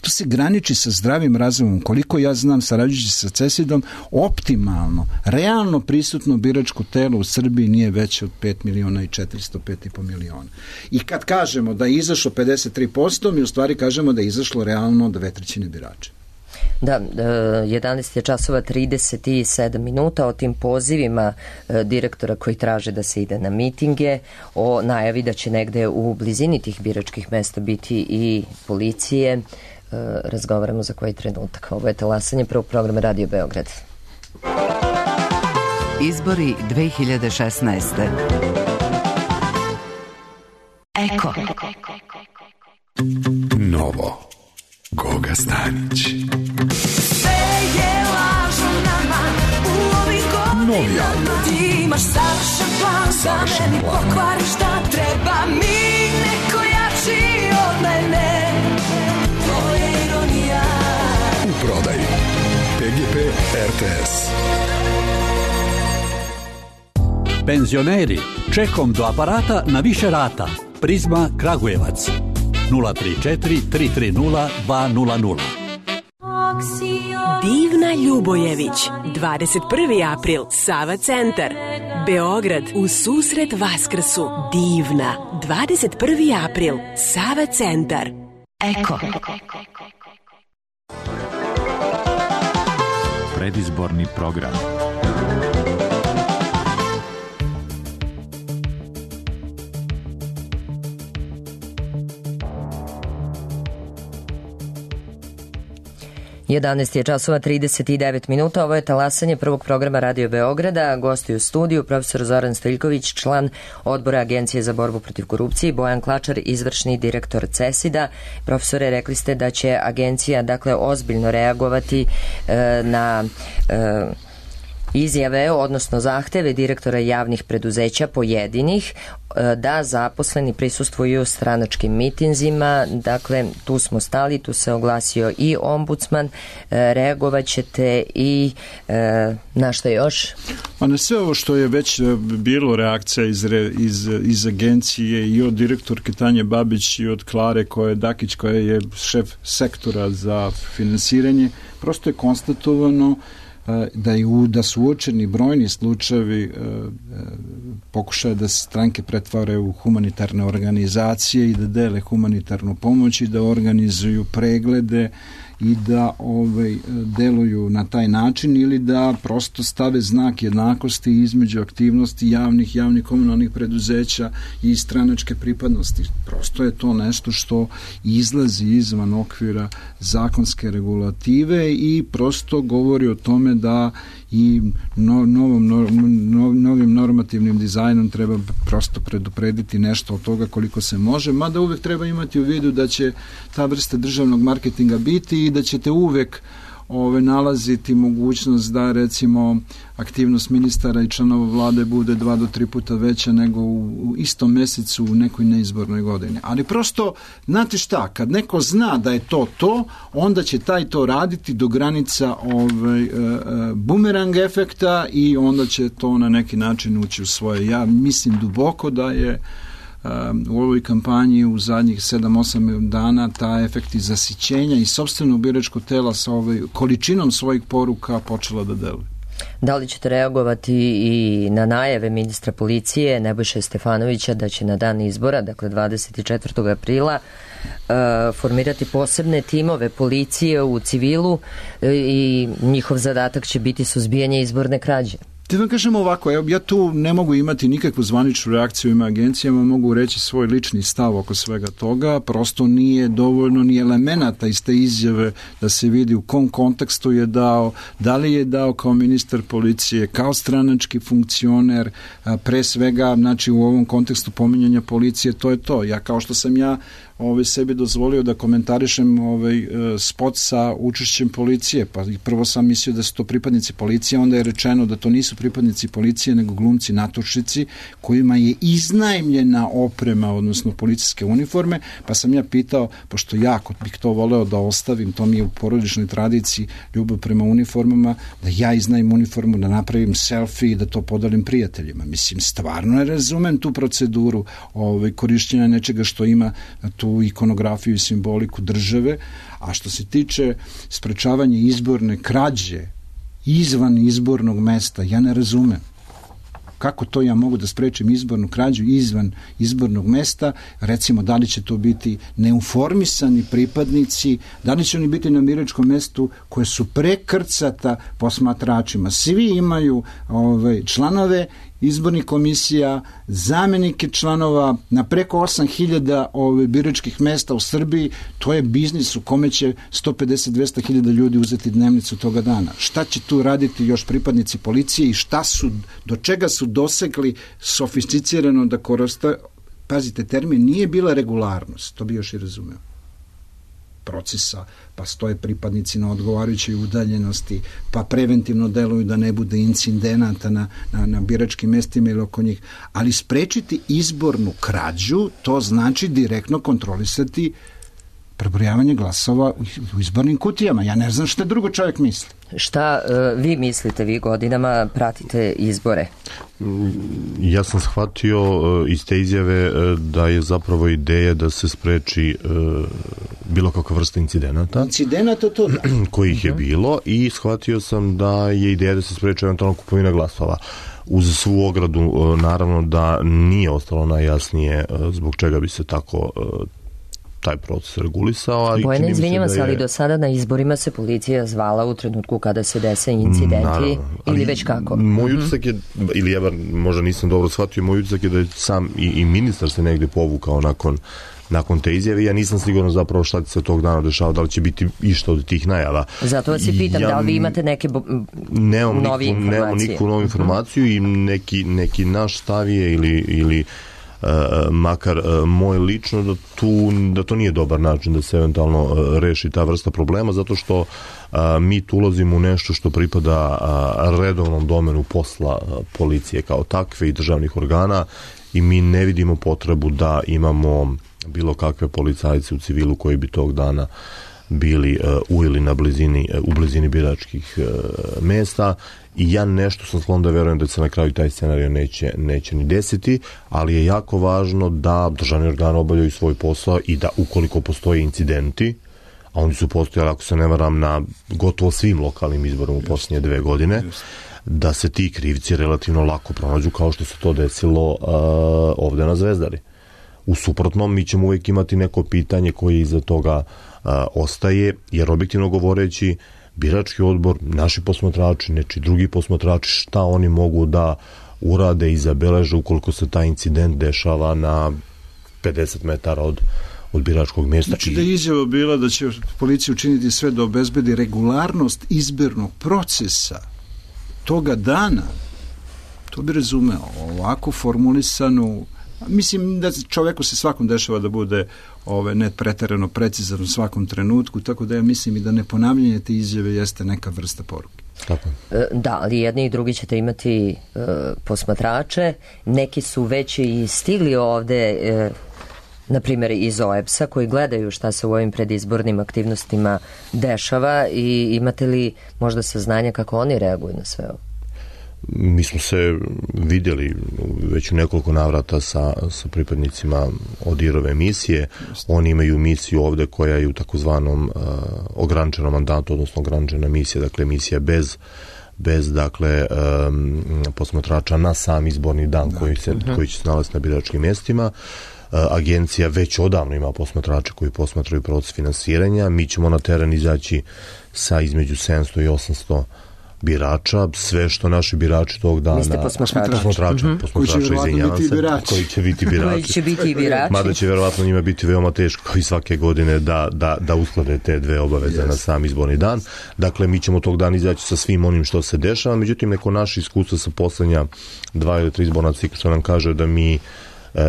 To se graniči sa zdravim razumom. Koliko ja znam, sarađujući sa CESID-om, optimalno, realno prisutno biračko telo u Srbiji nije veće od 5.400.000. I kad kažemo da je izašlo 53%, mi u stvari kažemo da je izašlo realno 2/3 birača. Da, 11 je časova 37 minuta, o tim pozivima direktora koji traže da se ide na mitinge, o najavi da će negde u blizini tih biračkih mesta biti i policije, razgovaramo za koji trenutak. Ovo je talasanje prvog programa Radio Beograd. Izbori 2016. Eko. Novo. Goga Stanić. Sve je lažno nama u ovim godinama. Ti imaš savršen plan da meni pokvariš šta treba mi, neko jači od mene. To je ironija. U prodaji PGP RTS. Penzioneri, čekom do aparata na više rata. Prizma Kragujevac 034 330 200. Divna Ljubojević, 21. april, Sava centar, Beograd, u susret Vaskrsu. Divna, 21. april, Sava centar. Eko. Predizborni program. Jedanaest je časova 39 minuta. Ovo je talasanje prvog programa Radio Beograda. Gosti u studiju profesor Zoran Stojiljković, član odbora Agencije za borbu protiv korupcije, Bojan Klačar, izvršni direktor CESID-a. Profesore, rekli ste da će agencija ozbiljno reagovati na izjave, odnosno zahteve direktora javnih preduzeća pojedinih da zaposleni prisustvuju stranačkim mitinzima. Dakle, tu smo stali, tu se oglasio i ombudsman. Reagovat ćete i na što još? A na sve ovo što je već bilo reakcija iz agencije i od direktorke Tanje Babić i od Klare Dakić koja je šef sektora za finansiranje, prosto je konstatovano da su uočeni brojni slučajevi pokušaja da se stranke pretvaraju u humanitarne organizacije i da dele humanitarnu pomoć i da organizuju preglede i da deluju na taj način ili da prosto stave znak jednakosti između aktivnosti javnih komunalnih preduzeća i stranačke pripadnosti. Prosto je to nešto što izlazi izvan okvira zakonske regulative i prosto govori o tome da i novim normativnim dizajnom treba prosto preduprediti nešto od toga koliko se može, mada uvek treba imati u vidu da će ta vrsta državnog marketinga biti i da ćete uvek nalaziti mogućnost da recimo aktivnost ministara i članova vlade bude 2 do 3 puta veća nego u istom mesecu u nekoj neizbornoj godini. Ali prosto, znate šta, kad neko zna da je to, onda će taj to raditi do granica bumerang efekta i onda će to na neki način ući u svoje. Ja mislim duboko da je u ovoj kampanji u zadnjih 7-8 dana ta efekti zasićenja i sopstvenog biračkog tela sa količinom svojih poruka počela da deluje. Da li ćete reagovati i na najave ministra policije Nebojše Stefanovića da će na dan izbora, dakle 24. aprila, formirati posebne timove policije u civilu i njihov zadatak će biti suzbijanje izborne krađe? Te vam kažem ovako, ja tu ne mogu imati nikakvu zvaničnu reakciju ima agencijama, mogu reći svoj lični stav oko svega toga, prosto nije dovoljno ni elemenata iz te izjave da se vidi u kom kontekstu je dao, da li je dao kao ministar policije, kao stranački funkcioner, pre svega, znači u ovom kontekstu pominjanja policije, to je to. Ja kao što sam sebi dozvolio da komentarišem spot sa učešćem policije, pa prvo sam mislio da su to pripadnici policije, onda je rečeno da to nisu pripadnici policije nego glumci natušici kojima je iznajmljena oprema, odnosno policijske uniforme, pa sam ja pitao, pošto jako bih to voleo da ostavim, to mi je u porodičnoj tradiciji ljubav prema uniformama, da ja iznajmim uniformu, da napravim selfie i da to podelim prijateljima. Mislim, stvarno ne razumem tu proceduru korišćenja nečega što ima tu ikonografiju i simboliku države, a što se tiče sprečavanja izborne krađe izvan izbornog mesta, ja ne razumem. Kako to ja mogu da sprečim izbornu krađu izvan izbornog mesta? Recimo, da li će to biti neuformisani pripadnici, da li će oni biti na biračkom mestu koje su prekrcata posmatračima. Svi imaju članove izbornih komisija, zamenike članova na preko 8.000 biračkih mesta u Srbiji. To je biznis u kome će 150-200 hiljada ljudi uzeti dnevnicu toga dana. Šta će tu raditi još pripadnici policije i do čega su dosegli sofisticirano da koriste, pazite, termin nije bila regularnost, to bi još i razumeo, procesa, pa stoje pripadnici na odgovarajućoj udaljenosti, pa preventivno deluju da ne bude incidenata na biračkim mestima ili oko njih. Ali sprečiti izbornu krađu, to znači direktno kontrolisati prebrojavanje glasova u izbornim kutijama. Ja ne znam šta drugo čovjek misli. Šta vi mislite, vi godinama pratite izbore? Ja sam shvatio iz te izjave da je zapravo ideja da se spreči bilo kakva vrsta incidenata. Incidenata to da. Kojih je bilo i shvatio sam da je ideja da se spreči eventualno kupovina glasova. Uz svu ogradu, naravno da nije ostalo najjasnije zbog čega bi se tako taj proces regulisao. Bojana, izvinjavam se, ali do sada na izborima se policija zvala u trenutku kada se dese incidenti ili već kako? Moj utisak je, ili ja možda nisam dobro shvatio, moj utisak je da je sam i ministar se negde povukao nakon te izjave. Ja nisam siguran zapravo šta se tog dana dešava, da li će biti išta od tih najava. Zato vas i pitam, da li vi imate neke novi informacije? Nemam nikakvu novu informaciju i neki naš stav je ili makar moje lično da to nije dobar način da se eventualno reši ta vrsta problema, zato što mi tu ulazimo u nešto što pripada redovnom domenu posla policije kao takve i državnih organa i mi ne vidimo potrebu da imamo bilo kakve policajce u civilu koji bi tog dana bili u blizini biračkih mesta i ja nešto sam sklon da verujem da se na kraju taj scenario neće ni desiti, ali je jako važno da državni organ obavljaju svoj posao i da ukoliko postoje incidenti, a oni su postojali, ako se ne varam, na gotovo svim lokalnim izborima u posljednje 2 godine, da se ti krivci relativno lako pronađu kao što se to desilo ovde na Zvezdari. U suprotnom, mi ćemo uvijek imati neko pitanje koje iza toga ostaje, jer objektivno govoreći, birački odbor, naši posmatrači, neči drugi posmatrači, šta oni mogu da urade i zabeleže ukoliko se taj incident dešava na 50 metara od biračkog mjesta. Znači da je izjava bila da će policija učiniti sve da obezbedi regularnost izbornog procesa toga dana, to bi razumeo. Ovako formulisanu, mislim da čoveku se svakom dešava da bude ne preterano precizan u svakom trenutku, tako da ja mislim i da neponavljanje te izjave jeste neka vrsta poruke. Tako. Da, ali jedni i drugi ćete imati posmatrače, neki su već i stigli ovde, na primjer iz OEBS-a, koji gledaju šta se u ovim predizbornim aktivnostima dešava i imate li možda saznanja kako oni reaguju na sve ovo? Mi smo se vidjeli već u nekoliko navrata sa pripadnicima ODIHR-ove misije. Oni imaju misiju ovde koja je u takozvanom ograničenom mandatu, odnosno ograničena misija, dakle misija bez dakle posmatrača na sam izborni dan koji će se nalaziti na biračkim mjestima. Agencija već odavno ima posmatrače koji posmatraju proces finansiranja. Mi ćemo na teren izaći sa između 700 i 800 birača, sve što naši birači tog dana... Vi ste posmatrači, izvinjavam se, koji će biti birači. Mada će verovatno njima biti veoma teško kao i svake godine da usklade te dve obaveze na sam izborni dan. Dakle, mi ćemo tog dana izaći sa svim onim što se dešava, međutim, neko naše iskustvo sa poslednja 2 ili 3 izborna ciklusa nam kaže da mi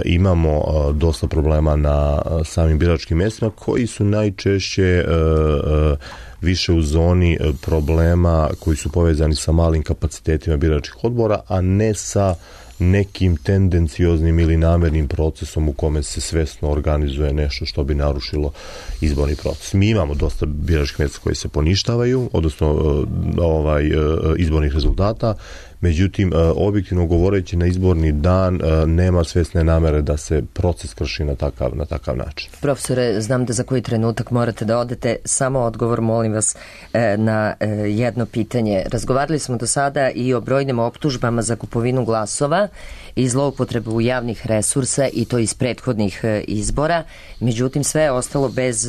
imamo dosta problema na samim biračkim mjestima koji su najčešće više u zoni problema koji su povezani sa malim kapacitetima biračkih odbora, a ne sa nekim tendencioznim ili namernim procesom u kome se svesno organizuje nešto što bi narušilo izborni proces. Mi imamo dosta biračkih mjesta koji se poništavaju, odnosno izbornih rezultata, međutim, objektivno govoreći na izborni dan nema svesne namere da se proces krši na takav način. Profesore, znam da za koji trenutak morate da odete, samo odgovor molim vas na jedno pitanje. Razgovarali smo do sada i o brojnim optužbama za kupovinu glasova i zloupotrebu javnih resursa i to iz prethodnih izbora, međutim sve je ostalo bez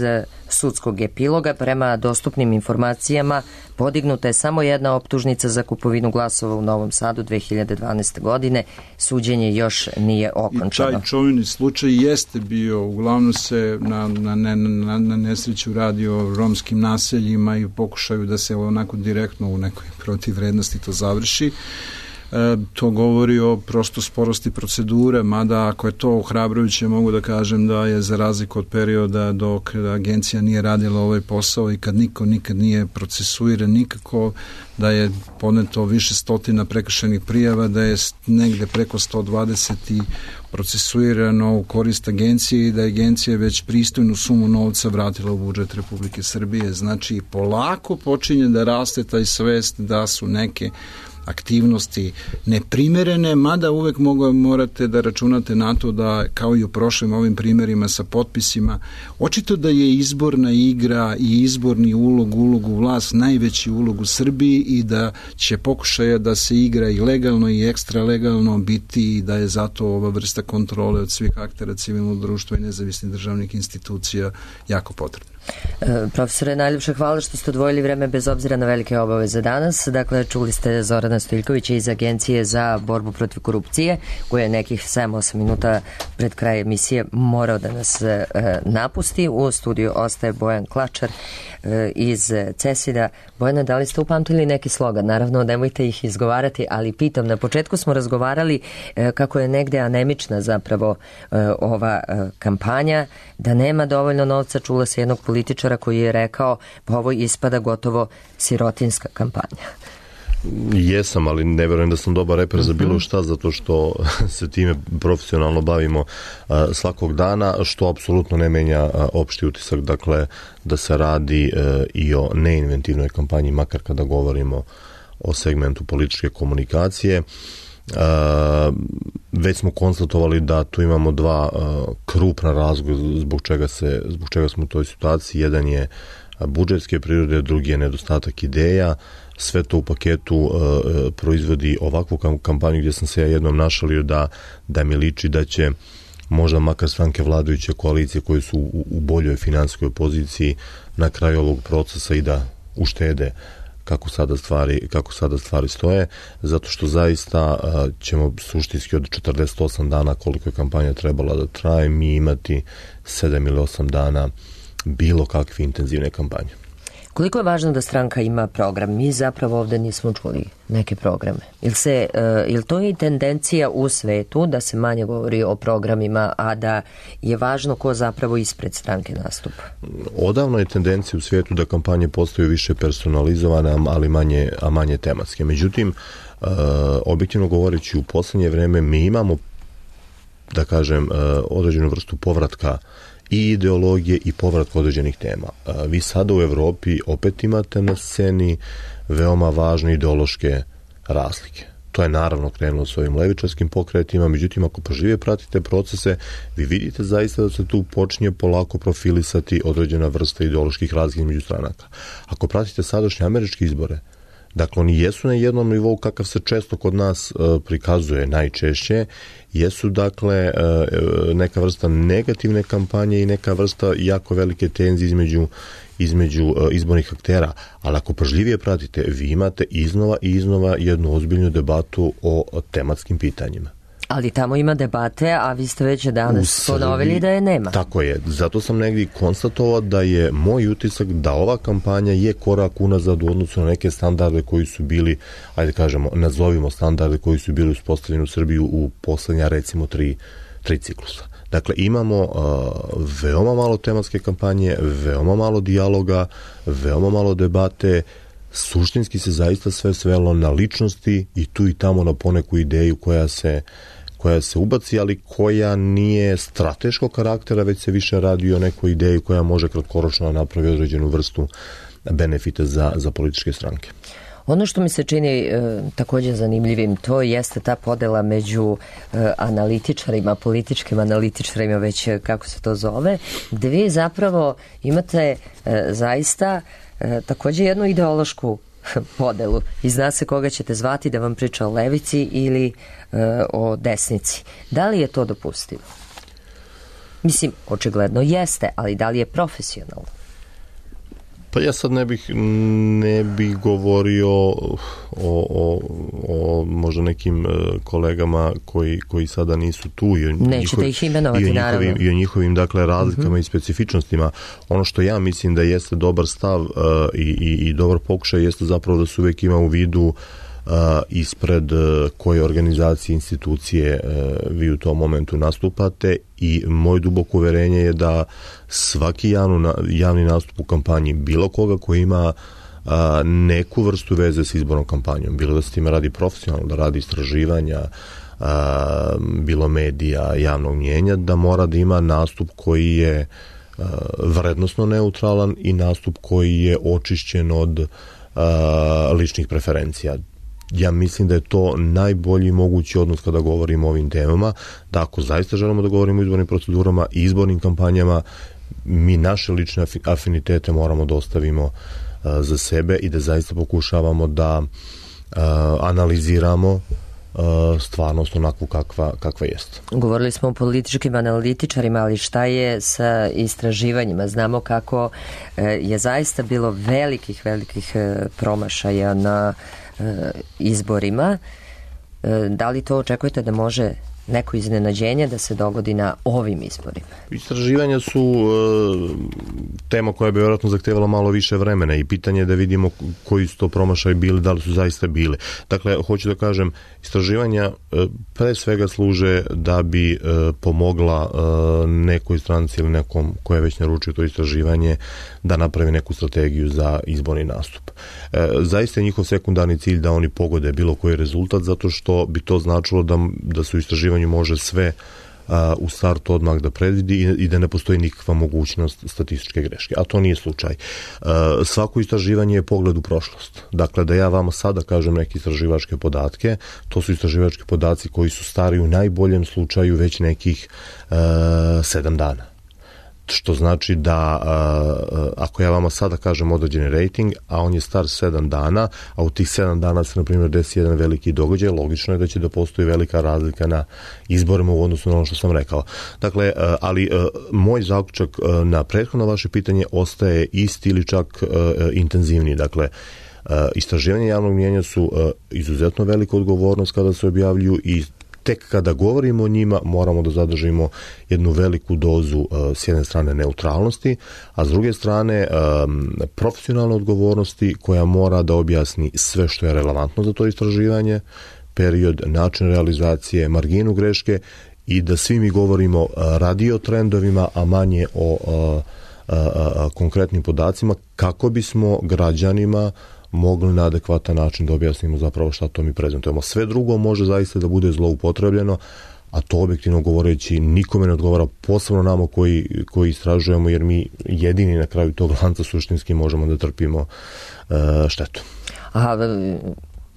sudskog epiloga. Prema dostupnim informacijama podignuta je samo jedna optužnica za kupovinu glasova u Novom Sadu 2012. godine. Suđenje još nije okončano. I taj čuveni slučaj jeste bio, uglavnom se na nesreću radi o romskim naseljima i pokušaju da se onako direktno u nekoj protivvrednosti to završi. To govori o prosto sporosti procedure, mada ako je to ohrabrujuće, mogu da kažem da je za razliku od perioda dok agencija nije radila ovaj posao i kad niko nikad nije procesuiran nikako, da je podneto više stotina prekršajnih prijava, da je negde preko 120 i procesuirano u korist agencije i da je agencija već pristojnu sumu novca vratila u budžet Republike Srbije. Znači, polako počinje da raste taj svest da su neke aktivnosti neprimerene, mada uvek morate da računate na to da, kao i u prošlim ovim primjerima sa potpisima, očito da je izborna igra i izborni ulogu vlast najveći ulog u Srbiji i da će pokušaja da se igra i legalno i ekstra legalno biti i da je zato ova vrsta kontrole od svih aktera civilnog društva i nezavisnih državnih institucija jako potrebna. Profesore, najljepše hvala što ste odvojili vreme bez obzira na velike obaveze danas. Dakle, čuli ste Zorana Stojiljkovića iz Agencije za borbu protiv korupcije, koja je nekih 7-8 minuta pred kraj emisije morao da nas napusti. U studiju ostaje Bojan Klačar iz CESID-a. Bojana, da li ste upamtili neki slogan? Naravno, nemojte ih izgovarati, ali pitam, na početku smo razgovarali kako je negde anemična zapravo ova kampanja, da nema dovoljno novca. Čula se jednog političara koji je rekao pa ovo ispada gotovo sirotinska kampanja. Jesam, ali ne verujem da sam dobar reper za bilo šta, zato što se time profesionalno bavimo svakog dana, što apsolutno ne menja opšti utisak, dakle da se radi i o neinventivnoj kampanji, makar kada govorimo o segmentu političke komunikacije. Već smo konstatovali da tu imamo dva krupna razloga zbog čega smo u toj situaciji. Jedan je budžetske prirode, drugi je nedostatak ideja. Sve to u paketu proizvodi ovakvu kampanju gdje sam se ja jednom našalio da mi liči da će možda makar stranke vladajuće koalicije koje su u boljoj finansijskoj poziciji na kraju ovog procesa i da uštede kako sada stvari stoje, zato što zaista ćemo suštinski od 48 dana koliko je kampanja trebala da traje, mi imati 7 ili 8 dana bilo kakve intenzivne kampanje. Koliko je važno da stranka ima program? Mi zapravo ovde nismo čuli neke programe. Ili to je tendencija u svetu da se manje govori o programima, a da je važno ko zapravo ispred stranke nastupa? Odavno je tendencija u svetu da kampanje postaju više personalizovane, ali manje tematske. Međutim, objektivno govoreći, u poslednje vreme mi imamo, da kažem, određenu vrstu povratka i ideologije i povratka određenih tema. Vi sada u Evropi opet imate na sceni veoma važne ideološke razlike. To je naravno krenulo s ovim levičarskim pokretima, međutim ako pažljivije pratite procese, vi vidite zaista da se tu počinje polako profilisati određena vrsta ideoloških razlika među stranaka. Ako pratite sadašnje američke izbore, dakle, oni jesu na jednom nivou kakav se često kod nas prikazuje najčešće, jesu dakle neka vrsta negativne kampanje i neka vrsta jako velike tenzije između izbornih aktera, ali ako pažljivije pratite, vi imate iznova i iznova jednu ozbiljnu debatu o tematskim pitanjima. Ali tamo ima debate, a vi ste već danas ponovili da je nema. Tako je, zato sam negdje konstatovao da je moj utisak da ova kampanja je korak unazad u odnosu na neke standarde koji su bili, ajde kažemo, nazovimo standarde koji su bili uspostavljeni u Srbiji u poslednja recimo tri ciklusa. Dakle, imamo veoma malo tematske kampanje, veoma malo dijaloga, veoma malo debate, suštinski se zaista sve svelo na ličnosti i tu i tamo na poneku ideju koja se ubaci, ali koja nije strateškog karaktera, već se više radi o nekoj ideji koja može kratkoročno napravi određenu vrstu benefita za političke stranke. Ono što mi se čini također zanimljivim, to jeste ta podela među analitičarima, političkim analitičarima, već kako se to zove, gde vi zapravo imate zaista također jednu ideološku podelu i zna se koga ćete zvati da vam priča o levici ili o desnici. Da li je to dopustivo? Mislim, očigledno jeste, ali da li je profesionalno? Pa ja sad ne bih govorio o možda nekim kolegama koji sada nisu tu nećete ih imenovati, naravno, i o njihovim dakle razlikama i specifičnostima. Ono što ja mislim da jeste dobar stav i dobar pokušaj jeste zapravo da se uvijek ima u vidu ispred koje organizacije, institucije vi u tom momentu nastupate i moje duboko uverenje je da svaki javni nastup u kampanji bilo koga koji ima neku vrstu veze s izbornom kampanjom, bilo da se time radi profesionalno, da radi istraživanja, bilo medija, javnog mnjenja, da mora da ima nastup koji je vrednosno neutralan i nastup koji je očišćen od ličnih preferencija. Ja mislim da je to najbolji mogući odnos kada govorimo o ovim temama, da ako zaista želimo da govorimo o izbornim procedurama i izbornim kampanjama, mi naše lične afinitete moramo da ostavimo za sebe i da zaista pokušavamo da analiziramo stvarnost onakvu kakva jest. Govorili smo o političkim analitičarima, ali šta je sa istraživanjima? Znamo kako je zaista bilo velikih promašaja na izborima. Da li to očekujete da može neko iznenađenje da se dogodi na ovim izborima? Istraživanja su tema koja bi vjerojatno zahtevala malo više vremena i pitanje je da vidimo koji su to promašaji bili, da li su zaista bili. Dakle, hoću da kažem, istraživanja pre svega služe da bi pomogla nekoj stranci ili nekom koja je već naručio to istraživanje da napravi neku strategiju za izborni nastup. Zaista je njihov sekundarni cilj da oni pogode bilo koji rezultat, zato što bi to značilo da su istraživanju može sve u startu odmah da predvidi i da ne postoji nikakva mogućnost statističke greške. A to nije slučaj. Svako istraživanje je pogled u prošlost. Dakle, da ja vama sada kažem neke istraživačke podatke, to su istraživački podaci koji su stari u najboljem slučaju već nekih 7 dana. Što znači da ako ja vama sada kažem određeni rating, a on je star 7 dana, a u tih 7 dana se, na primjer, desi jedan veliki događaj, logično je da će da postoji velika razlika na izborima u odnosu na ono što sam rekao. Dakle, ali moj zaključak na prethodno vaše pitanje ostaje isti ili čak intenzivniji. Dakle, istraživanje javnog mnijenja su izuzetno velika odgovornost kada se objavljuju i tek kada govorimo o njima moramo da zadržimo jednu veliku dozu s jedne strane neutralnosti, a s druge strane profesionalne odgovornosti koja mora da objasni sve što je relevantno za to istraživanje, period, način realizacije, marginu greške i da svi mi govorimo radi o trendovima, a manje o konkretnim podacima kako bismo građanima mogli na adekvatan način da objasnimo zapravo šta to mi prezentujemo. Sve drugo može zaista da bude zloupotrebljeno, a to objektivno govoreći nikome ne odgovara, posebno nama koji istražujemo, jer mi jedini na kraju tog lanca suštinski možemo da trpimo štetu. A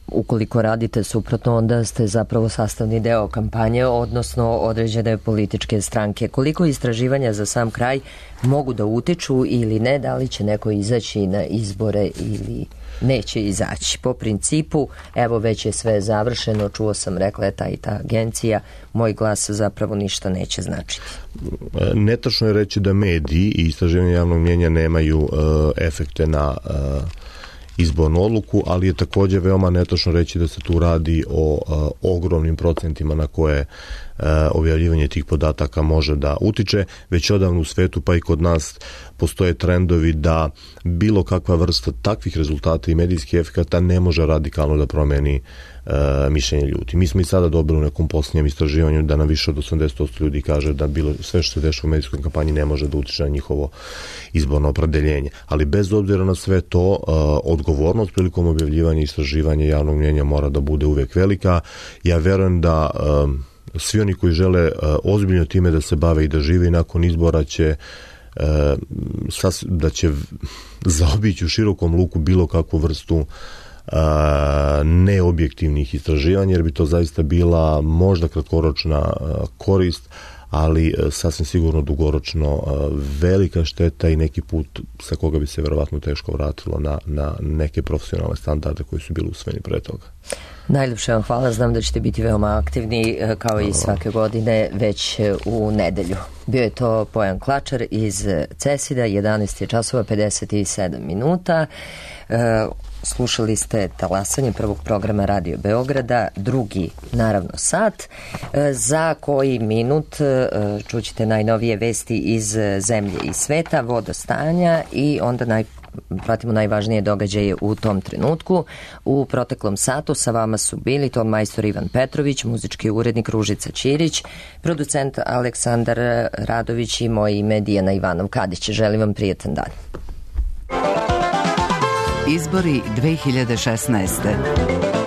ukoliko radite suprotno, onda ste zapravo sastavni deo kampanje, odnosno određene političke stranke. Koliko istraživanja za sam kraj mogu da utiču ili ne, da li će neko izaći na izbore ili neće izaći? Po principu, evo već je sve završeno, čuo sam, rekla je ta i ta agencija, moj glas zapravo ništa neće značiti. Netačno je reći da mediji i istraživanje javnog mnijenja nemaju efekte na izbornu odluku, ali je također veoma netočno reći da se tu radi o ogromnim procentima na koje objavljivanje tih podataka može da utiče. Već odavno u svetu, pa i kod nas, postoje trendovi da bilo kakva vrsta takvih rezultata i medijskih efekata ne može radikalno da promeni mišljenje ljudi. Mi smo i sada dobili u nekom posljednjem istraživanju da na više od 80% ljudi kaže da bilo sve što se dešava u medijskoj kampanji ne može da utiče na njihovo izborno opredeljenje. Ali bez obzira na sve to, odgovornost prilikom objavljivanja i istraživanja javnog mnijenja mora da bude uvijek velika. Ja verujem da svi oni koji žele ozbiljno time da se bave i da žive i nakon izbora da će zaobići u širokom luku bilo kakvu vrstu neobjektivnih istraživanja, jer bi to zaista bila možda kratkoročna korist, ali sasvim sigurno dugoročno velika šteta i neki put sa koga bi se verovatno teško vratilo na neke profesionalne standarde koji su bili usvojeni pre toga. Najljepše vam hvala, znam da ćete biti veoma aktivni kao i svake godine već u nedelju. Bio je to Pojan Klačar iz CESID-a, 11 je časova 57 minuta. Slušali ste talasanje prvog programa Radio Beograda, drugi naravno sat. Za koji minut čućete najnovije vesti iz zemlje i sveta, vodostanja i onda pratimo najvažnije događaje u tom trenutku. U proteklom satu sa vama su bili ton majstor Ivan Petrović, muzički urednik Ružica Ćirić, producent Aleksandar Radović i moje ime Dijana Ivanov Kadić. Želim vam prijetan dan. Izbori 2016.